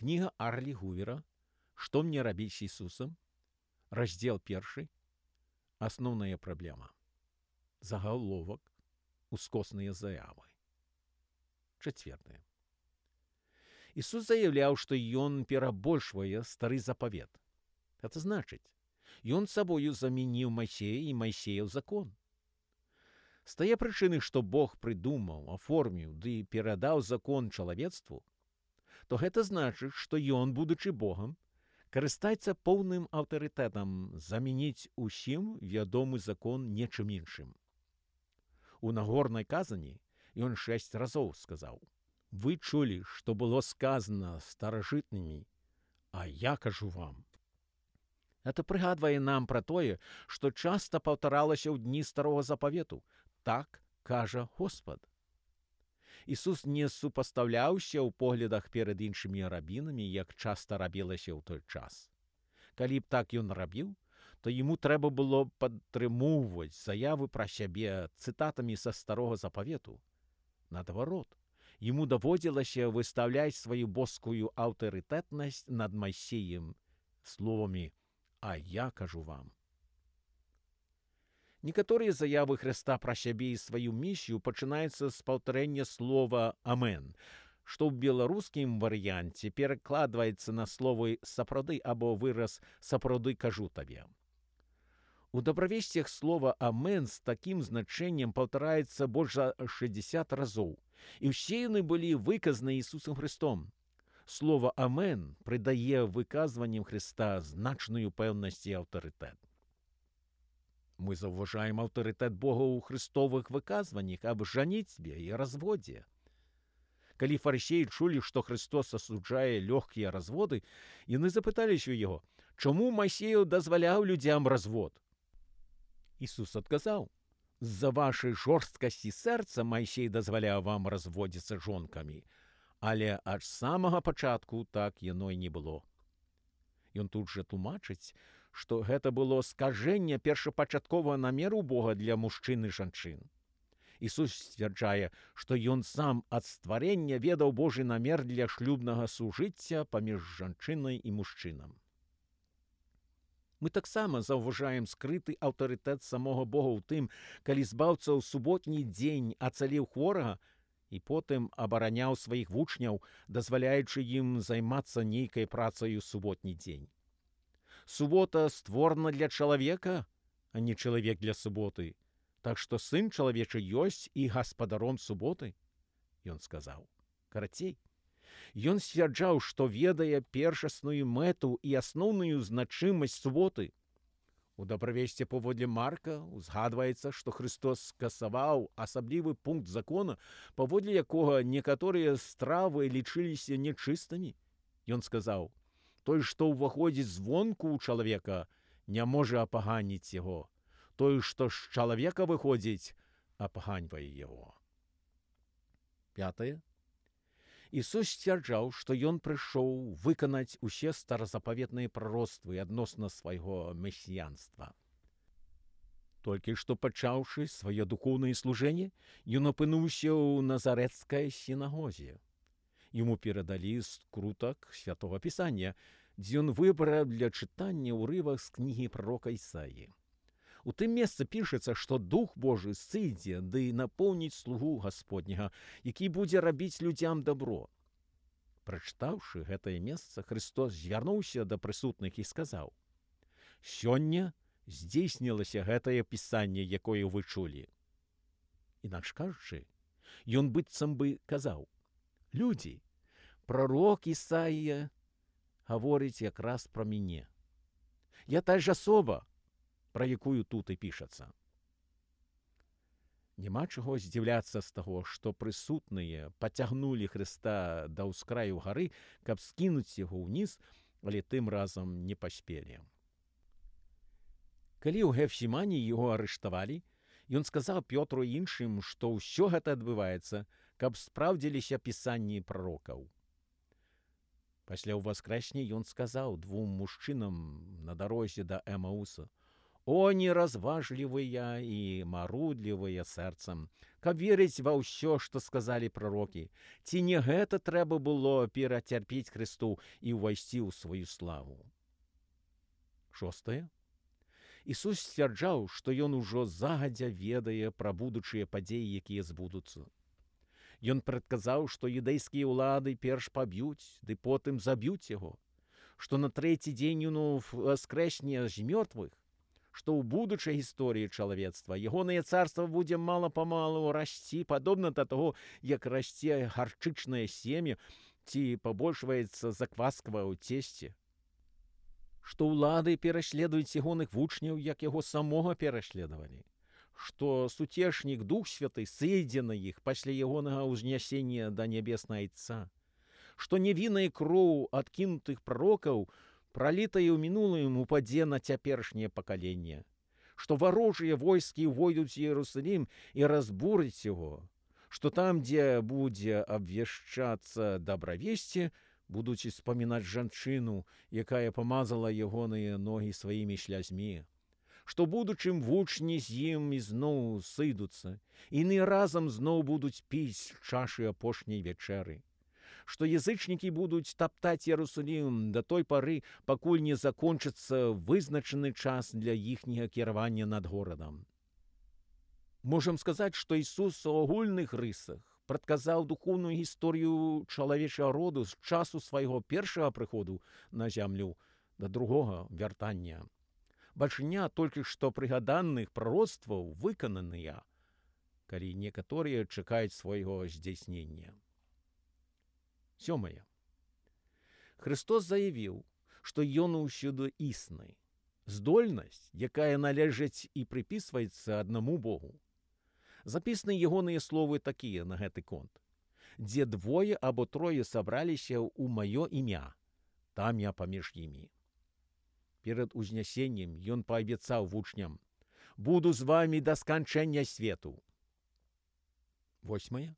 Кніга Арлі Гувера «Што мне рабіць з Ісусам?» Раздзел 1. Асноўная праблема. Загаловак. Ускосныя заявы. 4. Ісус заяўляў, што ён перабольшвае стары запавет. Гэта значыць, ён сабою замяніў Майсея і Майсеяў закон. З тае прычыны, што Бог прыдумаў, аформіў ды перадаў закон чалавецтву, то гэта значыць, што ён, будучы Богам, карыстаецца поўным аўтарытэтам замяніць усім вядомы закон нечым іншым. У Нагорнай казані ён 6 разоў сказаў: «Вы чулі, што было сказана старажытнымі, а я кажу вам». Гэта прыгадвае нам пра тое, што часта паўтаралася ў дні старога запавету. Так кажа Господ. Ісус не супастаўляўся ў поглядах перад іншымі рабінамі, як часта рабілася ў той час. Калі б так ён рабіў, то яму трэба было падтрымоўваць заявы пра сябе цытатамі са старога запавету. Наадварот, яму даводзілася выстаўляць сваю боскую аўтарытэтнасць над Майсеем словамі «А я кажу вам». Некаторыя заявы Хрыста пра сябе і сваю місію пачынаюцца з паўтарэння слова «Амен», што ў беларускім варыянце перакладваецца на словы «сапраўды» або выраз «сапраўды кажу табе». У дабравесцях слова «Амен» з такім значэннем паўтараецца больш за 60 разоў, і ўсе яны былі выказаны Ісусам Хрыстом. Слова «Амен» прыдае выказванням Хрыста значную пэўнасць і аўтарытэт. Мы заўважаем аўтарытэт Бога ў хрыстовых выказваннях аб жаніцьбе і разводзе. Калі фарысеі чулі, што Хрыстос асуджае лёгкія разводы, яны запыталіся ў яго: «Чаму Майсею дазваляў людзям развод?» Ісус адказаў: «З-за вашай жорсткасці сэрца Майсей дазваляў вам разводзіцца жонкамі, але ад самага пачатку так яно і не было». Ён тут жа тлумачыць, што гэта было скажэнне першапачатковага намеру Бога для мужчын і жанчын. Ісус сцвярджае, што ён сам ад стварення ведаў Божы намер для шлюбнага сужыцця паміж жанчынай і мужчынам. Мы таксама заўважаем скрыты аўтарытэт самога Бога ў тым, калі збаўца ў суботні дзень ацаліў хворага і потым абараняў сваіх вучняў, дазваляючы ім займацца нейкай працай у суботні дзень. Субота створана для чалавека, а не чалавек для суботы, так што сын чалавечы ёсць і гаспадаром суботы, ён сказаў. Карацей, ён сцвярджаў, што ведае першасную мэту і асноўную значымасць суботы. У дабравесці паводле Марка узгадваецца, што Хрыстос скасаваў асаблівы пункт закона, паводле якога некаторыя стравы лічыліся нячыстымі. Ён сказаў: «Той, што ўваходзіць звонку ў чалавека, не можа апаганіць яго. Той, што з чалавека выходзіць, апаганьвае яго». 5. Ісус сцвярджаў, што ён прыйшоў выканаць усе старазапаветныя прароцтвы адносна свайго месіянства. Толькі што пачаўшы сваё духоўнае служэнне, ён апынуўся ў назарэцкай сінагозе. Яму перадалі скрутак святога пісання, дзе ён выбраў для чытання ўрывак з кнігі прарока Ісаі. У тым месцы пішацца, што Дух Божы сыдзе ды напоўніць слугу Гасподняга, які будзе рабіць людзям дабро. Прачытаўшы гэтае месца, Хрыстос звярнуўся да прысутных і сказаў: «Сёння здзейснілася гэтае пісанне, якое вы чулі». Інакш кажучы, ён быццам бы казаў: «Людзі, прарок Ісаія гаворыць якраз пра мяне. Я та ж асоба, пра якую тут і пішацца». Няма чаго здзіўляцца з таго, што прысутныя пацягнулі Хрыста да ўскраю гары, каб скінуць яго ўніз, але тым разам не паспелі. Калі ў Гефсімані яго арыштавалі, ён сказаў Пётру і іншым, што ўсё гэта адбываецца, каб спраўдзіліся пісанні прарокаў. Пасля ўваскрэсня ён сказаў двум мужчынам на дарозе да Эмауса: О, неразважлівыя і марудлівыя сэрцам, каб верыць ва ўсё, што сказалі прарокі. Ці не гэта трэба было перацярпець Хрысту і ўвайсці ў сваю славу? 6. Ісус сцвярджаў, што ён ужо загадзя ведае пра будучыя падзеі, якія збудуцца. Ён прадказаў, што юдэйскія ўлады перш паб'юць, ды потым заб'юць яго, што на трэці дзень ён воскрэсне з мёртвых, што ў будучай гісторыі чалавецтва ягонае царства будзе мала-памалу расці, падобна да таго, як расце гарчычнае семя ці пабольшваецца закваска ў цесце, што ўлады пераследуюць ягоных вучняў, як яго самога пераследавалі, што суцешнік Дух Святы сыдзе на іх пасля ягонага ўзнясення да нябеснага Айца, што невінная кроў адкінутых прарокаў пралітае ў мінулым упадзе на цяперашняе пакаленне, што варожыя войскі ўвойдуць у Іерусалім і разбураць яго, што там, дзе будзе абвяшчацца дабравесце, будуць успамінаць жанчыну, якая памазала ягоныя ногі сваімі слязьмі, што будучым вучні з ім ізноў сыдуцца, і яны разам зноў будуць піць чашы апошняй вячэры, што язычнікі будуць таптаць Іерусалім да той пары, пакуль не закончыцца вызначаны час для іхняга кіравання над горадам. Можам сказаць, што Ісус у агульных рысах прадказаў духоўную гісторыю чалавечага роду з часу свайго першага прыходу на зямлю да другога вяртання. Бальшыня толькі што прыгаданых прароцтваў выкананыя, калі некаторыя чакаюць свайго здзяйснення. 7. Христос заявіў, што ён ўсюды існы, здольнасць, якая належыць і прыпісваецца аднаму Богу. Запісаны ягоныя словы такія на гэты конт: «Дзе двое або трое сабраліся ў маё імя, там я паміж імі». Перад узнясеннем ён паабяцаў вучням: «Буду з вамі да сканчэння свету». 8.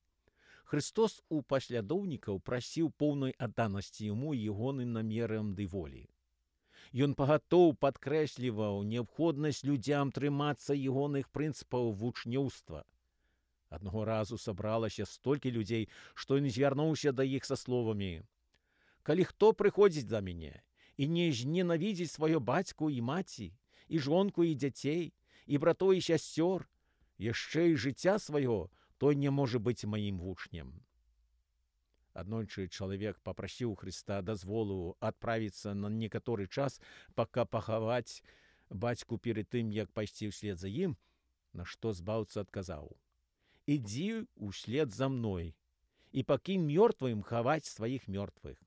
Христос у паслядоўнікаў прасіў поўнай адданасці яму і ягоным намерам ды волі. Ён пагатоў падкрэсліваў неабходнасць людзям трымацца ягоных прынцыпаў вучнёўства. Аднаго разу сабралася столькі людзей, што ён звярнуўся да іх са словамі: «Калі хто прыходзіць да мяне і не зненавідзіць сваё бацьку і маці, і жонку і дзяцей, і братоў і сясцёр, яшчэ і жыцця свайго, той не можа быць маім вучнем». Аднойчы чалавек папрасіў Хрыста дазволу адправіцца на некаторы час, пака пахаваць бацьку перад тым, як пайсці ўслед за ім, на што збаўца адказаў: «Ідзі ўслед за мной і пакінь мёртвым хаваць сваіх мёртвых».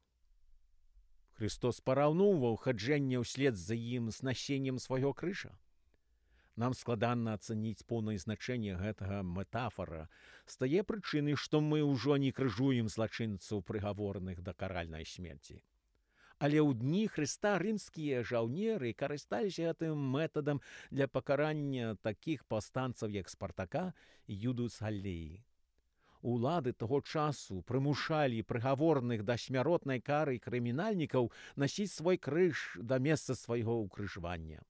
Христос параўноўваў хаджэнне ўслед за ім з насеннем свайго крыжа. Нам складана ацаніць поўнае значэнне гэтага метафара з тае прычыны, што мы ўжо не крыжуем злачынцаў, прыгаворных да каральнай смерці. Але ў дні Хрыста рымскія жаўнеры карысталіся гэтым метадам для пакарання такіх паўстанцаў, як Спартака і Юдус Галлеі. Улады таго часу прымушалі прыгаворных да смяротнай кары крымінальнікаў насіць свой крыж да месца свайго ўкрыжвання.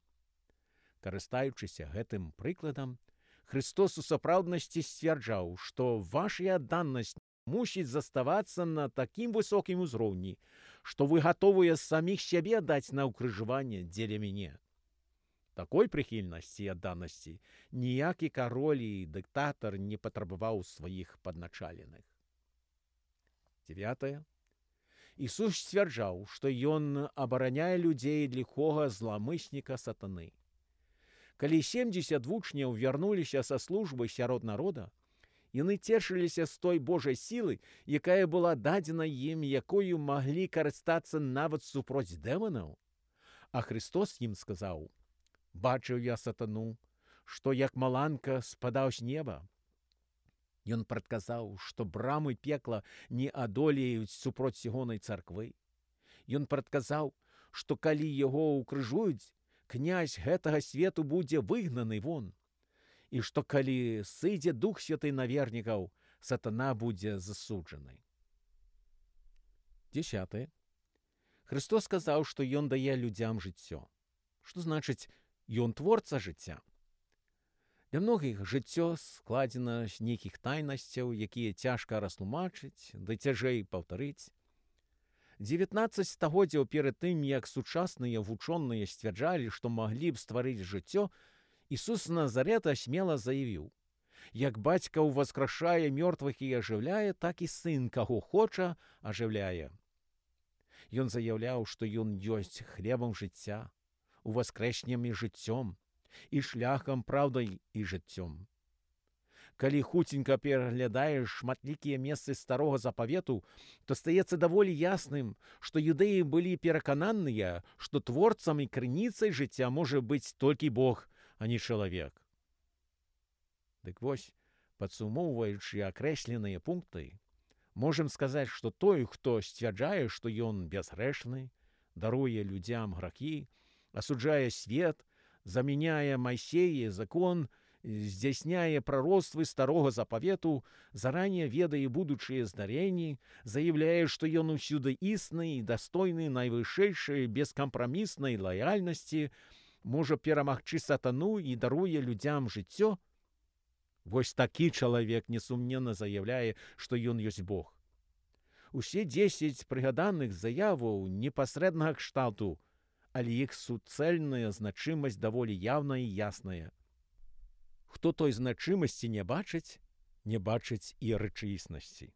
Карыстаючыся гэтым прыкладам, Христос у сапраўднасці сцвярджаў, што ваша адданасць мусіць заставацца на такім высокім узроўні, што вы гатовыя саміх сябе даць на ўкрыжванне дзеля мяне. Такой прыхільнасці і адданасці ніякі кароль і дыктатар не патрабаваў сваіх падначаленых. 9. Ісус сцвярджаў, што ён абараняе людзей ад ліхога зламысніка сатаны. Калі 70 вучняў вярнуліся са службы сярод народа, яны цешыліся з той Божай сілы, якая была дадзена ім, якою маглі карыстацца нават супроць дэманаў. А Христос ім сказаў: «Бачыў я сатану, што як маланка спадаў з неба». Ён прадказаў, што брамы пекла не адолеюць супроць ягонай царквы. Ён прадказаў, што калі яго ўкрыжуюць, князь гэтага свету будзе выгнаны вон, і што калі сыдзе Дух Святы на вернікаў, сатана будзе засуджаны. 10. Христос сказаў, што ён дае людзям жыццё. Што значыць Ён творца жыцця. Для многіх жыццё складзена з нейкіх тайнасцяў, якія цяжка растлумачыць, ды цяжэй паўтарыць. 19 стагоддзяў перад тым, як сучасныя вучоныя сцвярджалі, што маглі б стварыць жыццё, Ісус з Назарета смела заявіў: «Як бацька ўваскрашае мёртвых і ажыўляе, так і сын, каго хоча, ажыўляе». Ён заяўляў, што ён ёсць хлебам жыцця, уваскрэснем і жыццём, і шляхам, праўдай і жыццём. Калі хуценька пераглядаеш шматлікія месцы старога запавету, то стаецца даволі ясным, што юдэі былі перакананыя, што творцам і крыніцай жыцця можа быць толькі Бог, а не чалавек. Дык вось, падсумоўваючы акрэсленыя пункты, можам сказаць, што той, хто сцвярджае, што ён бязгрэшны, даруе людзям грахі, асуджае свет, замяняе Майсея закон, здзяйсняе прароцтвы старога запавету, заране ведае будучыя здарэнні, заяўляе, што ён усюды існы і дастойны найвышэйшай бескампраміснай лаяльнасці, можа перамагчы сатану і даруе людзям жыццё. Вось такі чалавек несумненна заяўляе, што ён ёсць Бог. Усе 10 прыгаданых заяваў непасрэднага кшталту, але іх суцэльная значымасць даволі яўная і ясная. Хто той значымасці не бачыць і рэчаіснасці.